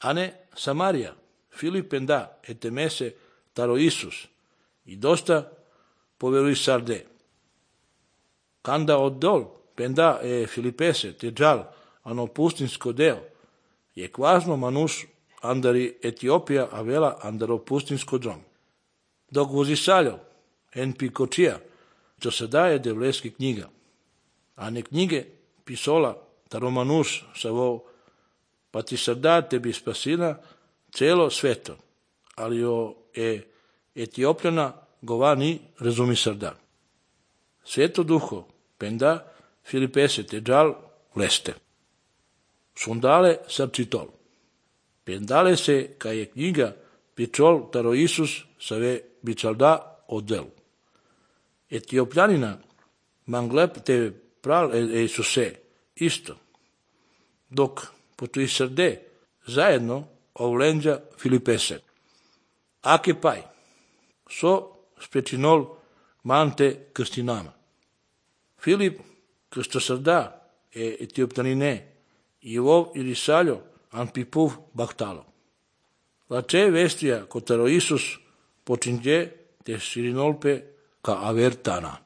Ane Samaria, Filip penda etemese taro Isus, i dosta poverui sarde. Kanda oddol penda Filipese te džal ano pustinsko deo, je kvazno manus andari Etiopija avela andaro pustinsko džom. Dok vozisaljo en pikočija, čo se daje devleski knjiga, a ne knjige pisola taro manus savo pa ti srda tebi spasina celo sveto, ali o Etiopljana govani razumi srda. Sveto duho penda Filipese te džal vleste. Sundale srčitol. Pendale se ka je knjiga pičol taro Isus save bičalda oddel. Etiopljanina manglep te pral Isuse isto. Dok potui srde zajedno ovlenđa Filipese. Ake paj, so spečinol mante krstinama. Filip krsto srda Etiopjanine i vov ili saljo an pipuv baktalo. Lače vestija kotaro Isus počinđe te sirinolpe ka avertana.